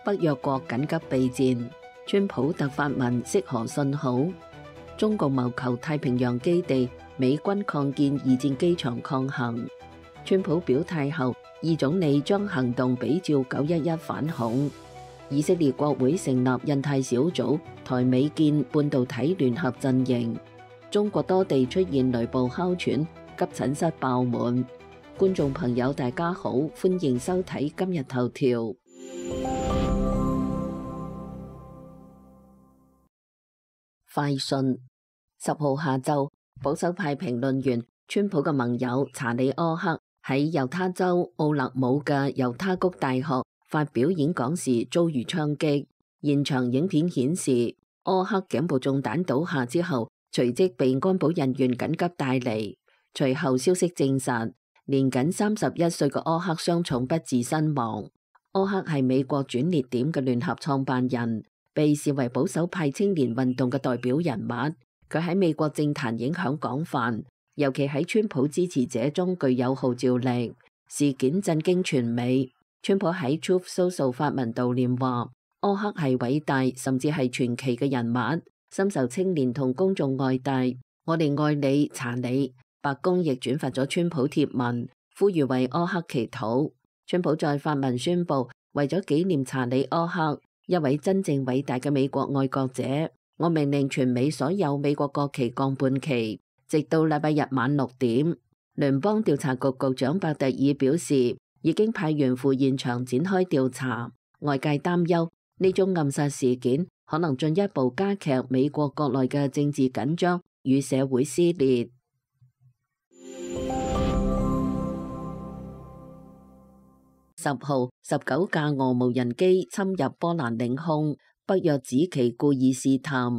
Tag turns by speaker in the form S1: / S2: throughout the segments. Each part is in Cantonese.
S1: 北約國緊急備戰，川普特發文釋何信號。中共謀求太平洋基地，美軍擴建二戰機場抗衡。川普表態後，二總理將行動比照911反恐。以色列國會成立印太小組，台美建半導體聯合陣營。中國多地出現雷暴哮喘，急診室爆滿。觀眾朋友大家好，歡迎收睇今日頭條。快訊10號下晝，保守派評論員川普嘅盟友查理柯克喺猶他州奧勒姆嘅猶他谷大學發表演講時遭遇槍擊。現場影片顯示，柯克頸部中彈倒下之後，隨即被安保人員緊急帶離。隨後消息證實，年僅31歲嘅柯克傷重不治身亡。柯克係美國轉捩點嘅聯合創辦人，被視為保守派青年運動嘅代表人物。佢喺美國政壇影響廣泛，尤其喺川普支持者中具有號召力。事件震驚全美。川普喺 Truth Social 發文悼念話，柯克係偉大甚至係傳奇嘅人物，深受青年同公眾愛戴。我哋愛你，查理。白宮亦轉發咗川普貼文，呼籲為柯克祈禱。川普再發文宣布，為咗紀念查理柯克，一位真正偉大嘅美國愛國者，我命令全美所有美國國旗降半旗，直到禮拜日晚6點。聯邦調查局局長伯特爾表示，已經派員赴現場展開調查。外界擔憂呢宗暗殺事件可能進一步加劇美國國內嘅政治緊張與社會撕裂。10號，19架俄無人機侵入波蘭領空，北約指其故意試探。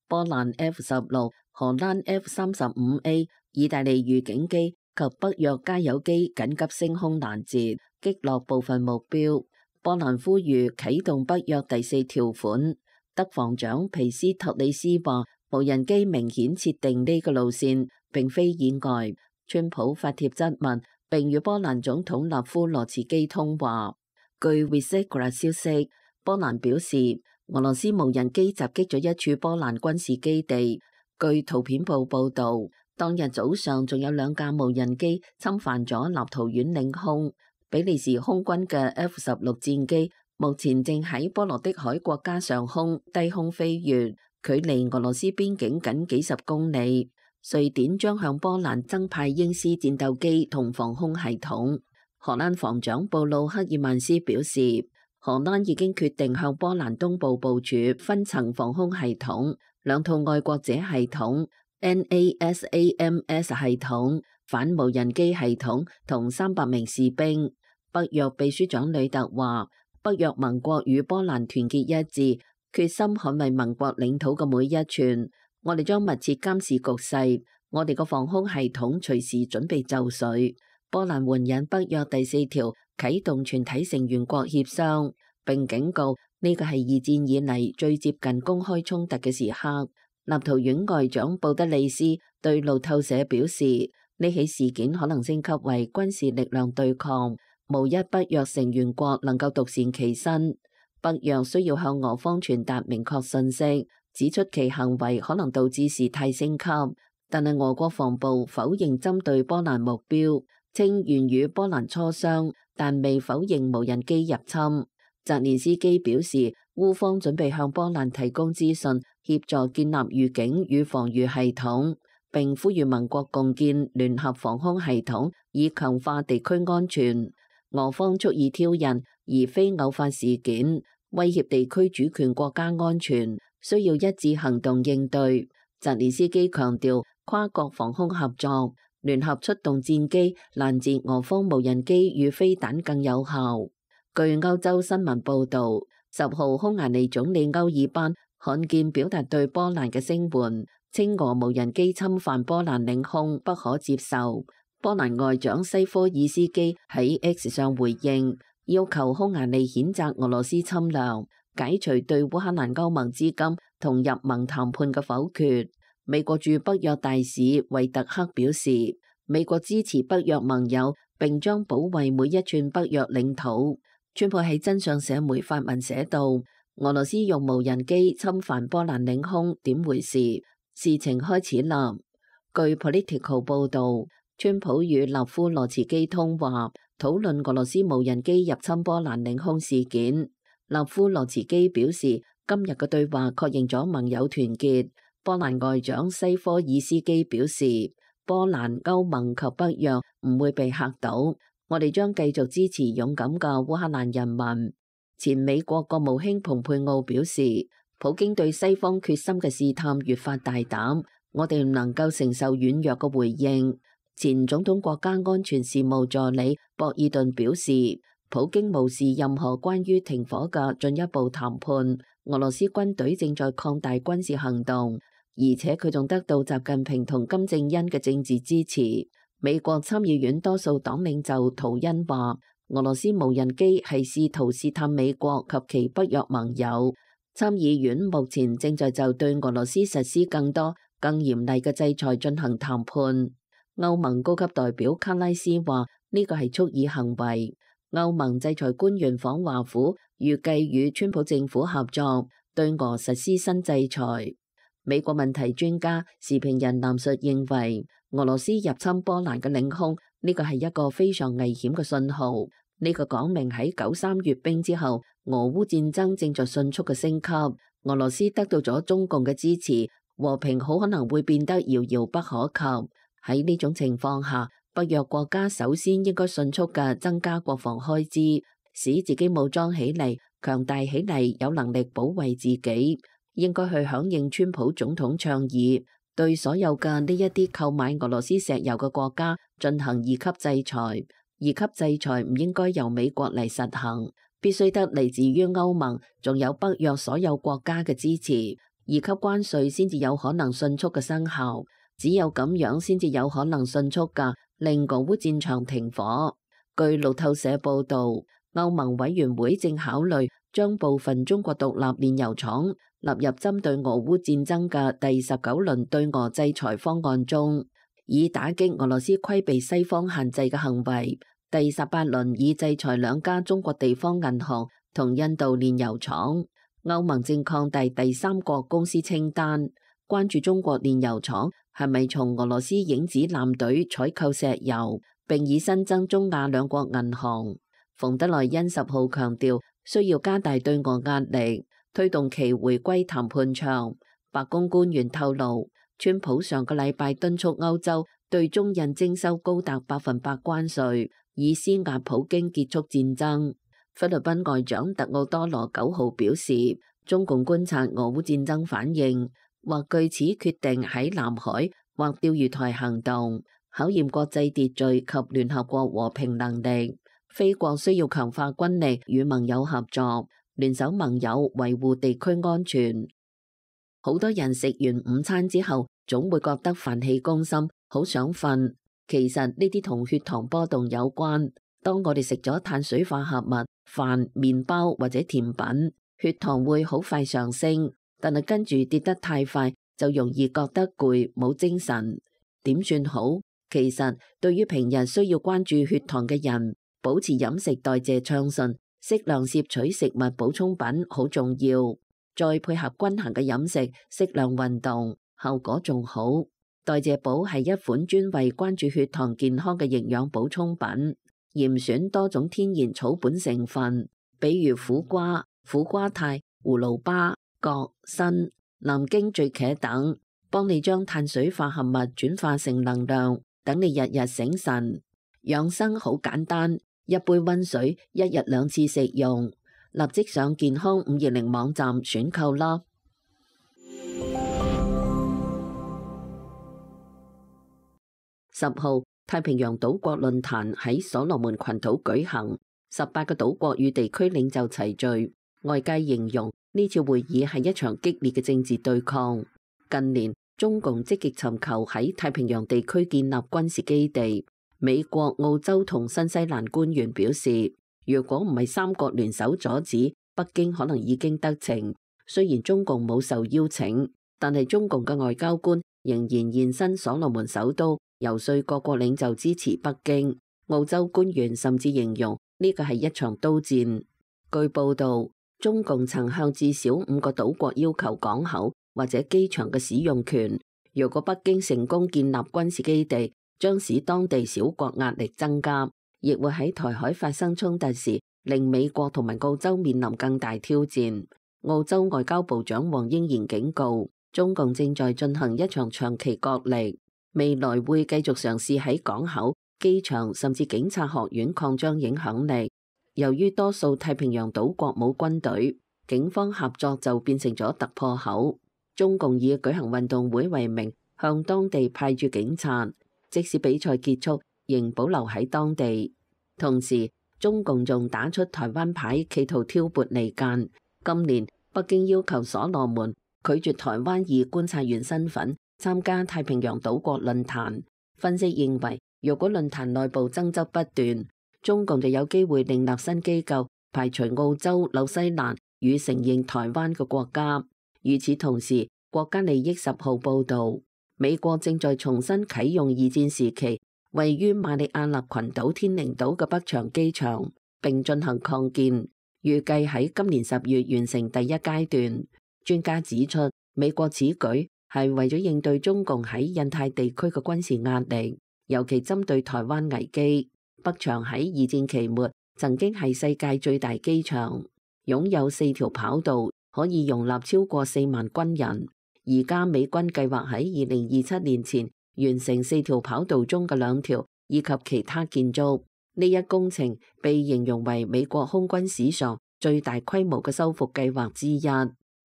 S1: 波蘭 F-16、荷蘭 F-35A、意大利預警機及北約加油機緊急升空攔截，擊落部分目標。波蘭呼籲啟動北約第4條款。德防長皮斯托里斯話，無人機明顯設定呢個路線，並非意外。川普發帖質問，並與波蘭總統納夫羅茨基通話。據 Vysegrad 消息，波蘭表示俄羅斯無人機襲擊咗一處波蘭軍事基地。據圖片報報導，當日早上仲有2架無人機侵犯咗立陶宛領空。比利時空軍嘅 F-16戰機目前正喺波羅的海國家上空低空飛越，距離俄羅斯邊境僅幾十公里。瑞典將向波蘭增派鷹獅戰鬥機同防空系統。荷蘭防長布魯克爾曼斯表示，荷蘭已經決定向波蘭東部部署分層防空系統、2套愛國者系統、NASAMS 系統、反無人機系統同300名士兵。北約秘書長呂特話，北約盟國與波蘭團結一致，決心捍衛盟國領土嘅每一寸。我哋將密切監視局勢，我哋個防空系統隨時準備就緒。波蘭援引北約第4條啟動全體成員國協商，並警告呢個係2戰以嚟最接近公開衝突嘅時刻。立陶宛外長布德利斯對路透社表示，呢起事件可能升級為軍事力量對抗，無一北約成員國能夠獨善其身。北約需要向俄方傳達明確信息，指出其行為可能導致事態升級，但係俄國防部否認針對波蘭目標，稱願與波蘭磋商，但未否認無人機入侵。澤連斯基表示，烏方準備向波蘭提供資訊，協助建立預警與防禦系統，並呼籲盟國共建聯合防空系統，以強化地區安全。俄方蓄意挑釁，而非偶發事件，威脅地區主權國家安全，需要一致行動應對。澤連斯基強調，跨國防空合作、聯合出動戰機攔截俄方無人機與飛彈更有效。據歐洲新聞報導，10號匈牙利總理歐爾班罕見表達對波蘭嘅聲援，稱俄無人機侵犯波蘭領空不可接受。波蘭外長西科爾斯基喺 X 上回應，要求匈牙利譴責俄羅斯侵略，解除對烏克蘭歐盟資金同入盟談判嘅否決。美國駐北約大使維特克表示，美國支持北約盟友，並將保衛每一寸北約領土。川普喺真相社媒發文寫道：俄羅斯用無人機侵犯波蘭領空，點回事？事情開始啦。據 Politico 報導，川普與勒夫羅茨基通話，討論俄羅斯無人機入侵波蘭領空事件。勒夫羅茨基表示，今日嘅對話確認咗盟友團結。波蘭外長西科爾斯基表示，波蘭、歐盟及北約唔會被嚇倒，我哋將繼續支持勇敢嘅烏克蘭人民。前美國國務卿蓬佩奧表示，普京對西方決心嘅試探越發大膽，我哋唔能夠承受軟弱嘅回應。前總統國家安全事務助理博爾頓表示，普京無視任何關於停火嘅進一步談判，俄羅斯軍隊正在擴大軍事行動，而且佢仲得到習近平同金正恩嘅政治支持。美國參議院多數黨領袖圖恩話，俄羅斯無人機係試圖試探美國及其北約盟友。參議院目前正在就對俄羅斯實施更多、更嚴厲嘅制裁進行談判。歐盟高級代表卡拉斯話，呢個係蓄意行為。歐盟制裁官員訪華府，預計與川普政府合作，對俄實施新制裁。美國問題專家時評人藍述認為，俄羅斯入侵波蘭嘅領空，呢個係一個非常危險嘅信號。呢個講明喺93閱兵之後，俄烏戰爭正在迅速嘅升級。俄羅斯得到咗中共嘅支持，和平好可能會變得遙遙不可及。喺呢種情況下，北約國家首先應該迅速嘅增加國防開支，使自己武裝起嚟，強大起嚟，有能力保衛自己。應該去響應川普總統倡議，對所有嘅呢一啲購買俄羅斯石油嘅國家進行二級制裁。二級制裁唔應該由美國嚟實行，必須得嚟自於歐盟，仲有北約所有國家嘅支持。二級關稅先至有可能迅速嘅生效，只有咁樣先至有可能迅速嘅令俄烏戰場停火。據路透社報導，歐盟委員會正考慮將部分中國獨立煉油廠納入針對俄烏戰爭嘅第19輪對俄制裁方案中，以打擊俄羅斯規避西方限制嘅行為。第18輪已制裁2家中國地方銀行同印度煉油廠。歐盟正擴大第三國公司清單，關注中國煉油廠係咪從俄羅斯影子艦隊採購石油，並已新增中亞2國銀行。馮德萊恩10號強調，需要加大對俄壓力，推動其回歸談判場。白宮官員透露，川普上個禮拜敦促歐洲對中印徵收高達100%關稅，以施壓普京結束戰爭。菲律賓外長特奧多羅9號表示，中共觀察俄烏戰爭反應，或據此決定喺南海或釣魚台行動，考驗國際秩序及聯合國和平能力。菲國需要強化軍力與盟友合作，聯手盟友維護地區安全。好多人食完午餐之後，總會覺得飯氣攻心，好想瞓。其實呢啲同血糖波動有關。當我哋食咗碳水化合物、飯、麵包或者甜品，血糖會好快上升，但係跟住跌得太快，就容易覺得攰，冇精神。點算好？其實對於平日需要關注血糖嘅人，保持飲食代謝暢順，適量攝取食物補充品好重要。再配合均衡嘅飲食，適量運動，效果仲好。代謝寶係一款專為關注血糖健康嘅營養補充品，嚴選多種天然草本成分，比如苦瓜、苦瓜肽、葫蘆巴、葛、參、南京醉茄等，幫你將碳水化合物轉化成能量，等你日日醒神。養生好簡單，一杯溫水，一日2次食用。立即上健康520網站選購啦。10號，太平洋島國論壇喺所羅門群島舉行，18個島國與地區領袖齊聚。外界形容呢次會議係一場激烈嘅政治對抗。近年，中共積極尋求喺太平洋地區建立軍事基地。美國、澳洲同新西蘭官員表示，如果唔係3國聯手阻止，北京可能已經得逞。雖然中共冇受邀請，但係中共嘅外交官仍然現身所羅門首都，遊說各國領袖支持北京。澳洲官員甚至形容呢個係一場刀戰。據報道，中共曾向至少5個島國要求港口或者機場嘅使用權。如果北京成功建立軍事基地，將使當地小國壓力增加，亦會喺台海發生衝突時，令美國同埋澳洲面臨更大挑戰。澳洲外交部長黃英賢警告，中共正在進行一場長期角力，未來會繼續嘗試喺港口、機場甚至警察學院擴張影響力。由於多數太平洋島國冇軍隊，警方合作就變成咗突破口。中共以舉行運動會為名，向當地派駐警察，即使比賽結束，仍保留喺當地。同時，中共仲打出台灣牌，企圖挑撥離間。今年，北京要求所羅門拒絕台灣以觀察員身份參加太平洋島國論壇。分析認為，若果論壇內部爭執不斷，中共就有機會另立新機構，排除澳洲、紐西蘭與承認台灣嘅國家。與此同時，國家利益10號報導，美國正在重新啟用二戰時期位於馬里亞納群島天寧島嘅北長機場，並進行擴建，預計喺今年10月完成第一階段。專家指出，美國此舉係為咗應對中共喺印太地區嘅軍事壓力，尤其針對台灣危機。北長喺二戰期末曾經係世界最大機場，擁有4條跑道，可以容納超過4萬軍人。而家美軍計劃喺2027年前完成4條跑道中嘅2條，以及其他建築。呢一工程被形容為美國空軍史上最大規模嘅修復計劃之一。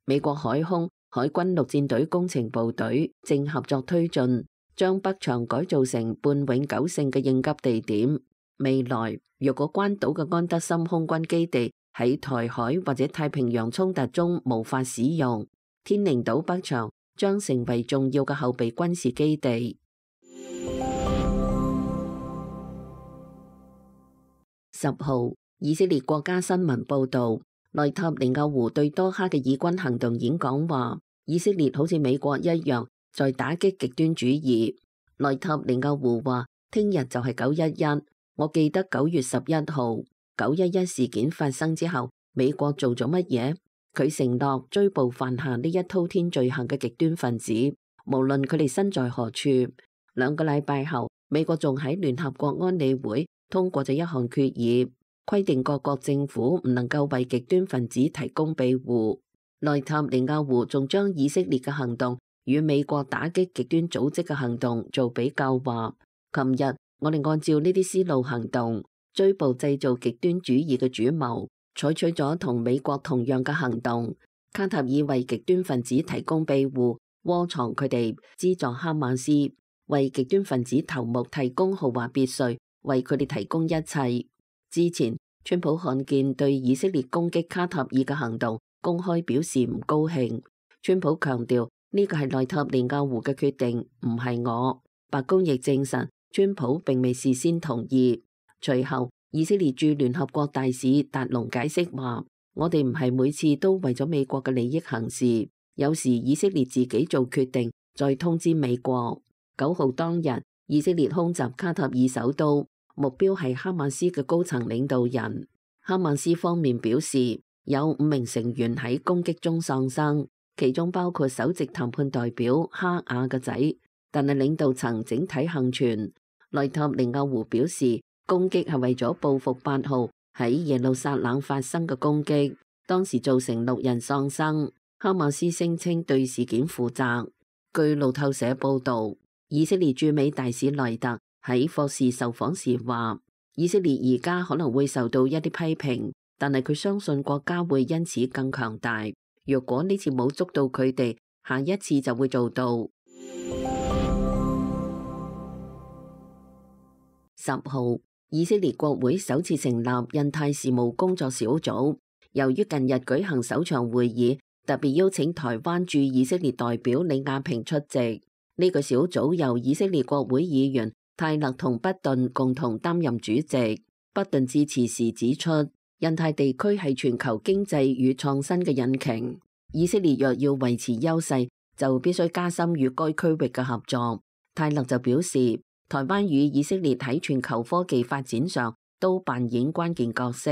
S1: 美國海空、海軍陸戰隊工程部隊正合作推進，將北長改造成半永久性嘅應急地點。未來，若果關島嘅安德森空軍基地喺台海或者太平洋衝突中無法使用，天寧島北長將成為重要嘅後備軍事基地。10號，以色列國家新聞報導，內塔尼亞胡對多哈嘅以軍行動演講話，以色列好似美國一樣在打擊極端主義。內塔尼亞胡話：聽日就係911。我記得9月11號911事件發生之後，美國做咗乜嘢？佢承諾追捕犯下呢一滔天罪行嘅極端分子，無論佢哋身在何處。2個禮拜後，美國仲喺聯合國安理會通過咗一項決議，規定各國政府唔能夠為極端分子提供庇護。內塔尼亞胡仲將以色列嘅行動與美國打擊極端組織嘅行動做比較，話：琴日我哋按照呢啲思路行動，追捕製造極端主義嘅主謀，採取咗同美國同樣嘅行動。卡塔爾為極端分子提供庇護，窩藏佢哋，資助哈馬斯，為極端分子頭目提供豪華別墅，為佢哋提供一切。之前，川普看見對以色列攻擊卡塔爾嘅行動，公開表示唔高興。川普強調呢個係內塔尼亞胡嘅決定，唔係我。白宮亦證實，川普並未事先同意。隨後，以色列駐聯合國大使達龍解釋話：我哋唔係每次都為咗美國嘅利益行事，有時以色列自己做決定，再通知美國。9號當日，以色列空襲卡塔爾首都，目標係哈馬斯嘅高層領導人。哈馬斯方面表示，有5名成員喺攻擊中喪生，其中包括首席談判代表哈雅嘅仔，但係領導層整體幸存。內塔尼亞胡表示，攻擊係為咗報復8號喺耶路撒冷發生嘅攻擊，當時造成6人喪生。哈馬斯聲稱對事件負責。據路透社報導，以色列駐美大使萊特喺霍士受訪時話，以色列而家可能會受到一啲批評，但係佢相信國家會因此更強大。若果呢次冇捉到佢哋，下一次就會做到。10號，以色列國會首次成立印太事務工作小組。由於近日舉行首場會議，特別邀請台灣駐以色列代表李亞平出席。呢個小組由以色列國會議員泰勒同畢頓共同擔任主席。畢頓致辭時指出，印太地區係全球經濟與創新嘅引擎。以色列若要維持優勢，就必須加深與該區域嘅合作。泰勒就表示，台灣與以色列喺全球科技發展上都扮演關鍵角色，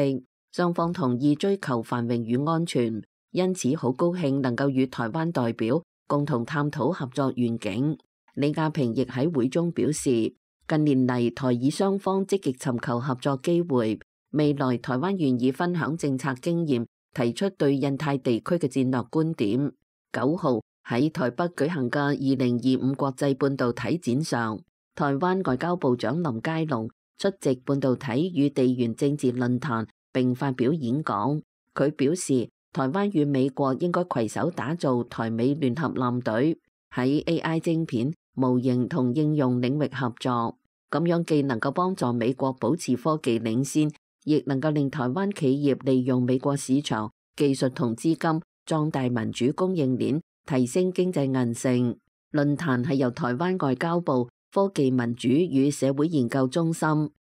S1: 雙方同意追求繁榮與安全，因此好高興能夠與台灣代表共同探討合作願景。李亞平亦喺會中表示，近年嚟台以雙方積極尋求合作機會，未來台灣願意分享政策經驗，提出對印太地區嘅戰略觀點。9號喺台北舉行嘅2025國際半導體展上，台灣外交部長林佳龍出席半導體與地緣政治論壇並發表演講。佢表示，台灣與美國應該攜手打造台美聯合艦隊，喺 AI 晶片、模型同應用領域合作，咁樣既能夠幫助美國保持科技領先，亦能夠令台灣企業利用美國市場技術同資金壯大民主供應鏈，提升經濟韌性。論壇係由台灣外交部科技民主與社會研究中心、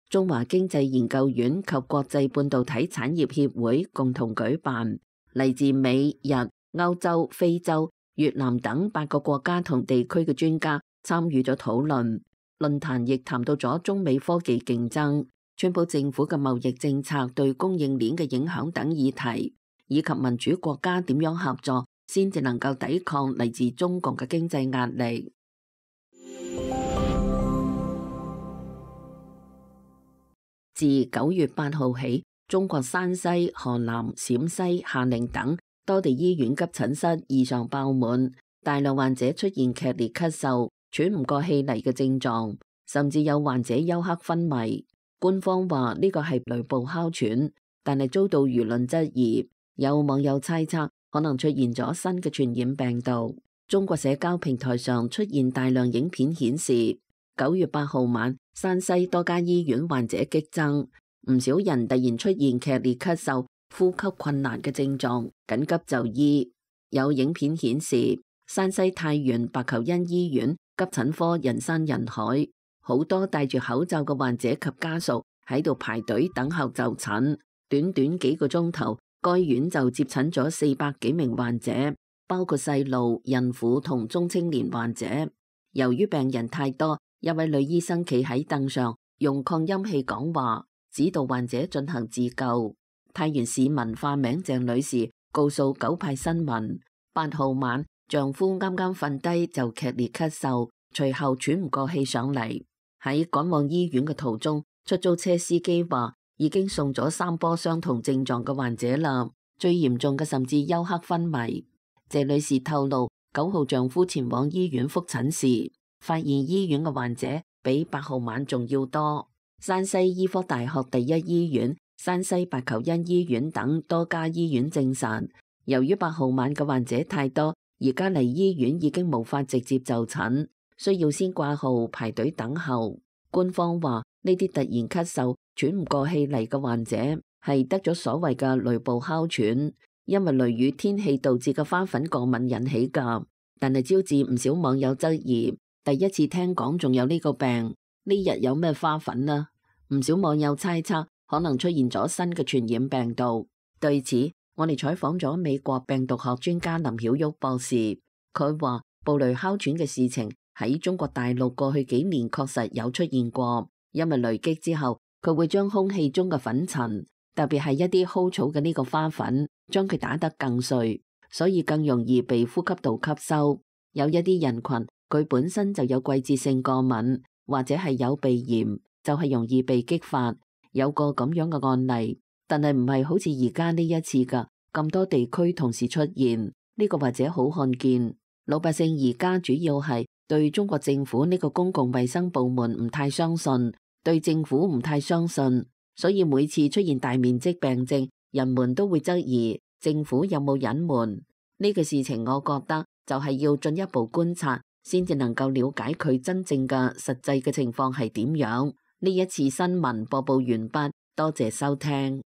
S1: 中華經濟研究院及國際半導體產業協會共同舉辦，嚟自美、日、歐洲、非洲、越南等8個國家同地區嘅專家參與咗討論。論壇亦談到咗中美科技競爭、川普政府嘅貿易政策對供應鏈嘅影響等議題，以及民主國家點樣合作先至能夠抵抗嚟自中共嘅經濟壓力。自9月8號起，中國山西、河南、陝西、夏寧等多地醫院急診室異常爆滿，大量患者出現劇烈咳嗽、喘唔過氣嚟嘅症狀，甚至有患者休克昏迷。官方話呢個係雷暴哮喘，但係遭到輿論質疑。有網友猜測可能出現咗新嘅傳染病毒。中國社交平台上出現大量影片顯示，9月8號晚，山西多家醫院患者激增，唔少人突然出現劇烈咳嗽、呼吸困難嘅症狀，緊急就醫。有影片顯示，山西太原白求恩醫院急診科人山人海，好多戴住口罩嘅患者及家屬喺度排隊等候就診。短短幾個鐘頭，該院就接診咗400幾名患者，包括細路、孕婦同中青年患者。由於病人太多，一位女醫生企喺凳上，用擴音器講話，指導患者進行自救。太原市民化名鄭女士告訴九派新聞，8號晚丈夫啱啱瞓低就劇烈咳嗽，隨後喘唔過氣上嚟。喺趕往醫院嘅途中，出租車司機話已經送咗3波相同症狀嘅患者啦，最嚴重嘅甚至休克昏迷。謝女士透露，9號丈夫前往醫院覆診時，發現醫院嘅患者比8號晚仲要多。山西醫科大學第一醫院、山西白求恩醫院等多家醫院證實，由於8號晚嘅患者太多，而家嚟醫院已經無法直接就診，需要先掛號排隊等候。官方話呢啲突然咳嗽、喘唔過氣嚟嘅患者係得咗所謂嘅雷暴哮喘，因為雷雨天氣導致嘅花粉過敏引起㗎。但係招致唔少網友質疑，第一次聽講仲有呢個病，呢日有咩花粉啊？唔少網友猜測可能出現咗新嘅傳染病毒。對此，我哋採訪咗美國病毒學專家林曉旭博士，佢話布雷哮喘嘅事情喺中國大陸過去幾年確實有出現過，因為雷擊之後佢會將空氣中嘅粉塵，特別係一啲蒿草嘅呢個花粉，將佢打得更碎，所以更容易被呼吸道吸收。有一啲人群佢本身就有季節性過敏，或者係有鼻炎，就係容易被激發。有個咁樣嘅案例，但係唔係好似而家呢一次㗎咁多地區同時出現，呢個或者好罕見。老百姓而家主要係對中國政府呢個公共衛生部門唔太相信，對政府唔太相信，所以每次出現大面積病症，人們都會質疑政府有冇隱瞞。呢個事情我覺得就係要進一步觀察，先至能夠了解佢真正嘅實際嘅情況係點樣。呢一次新聞播報完畢，多謝收聽。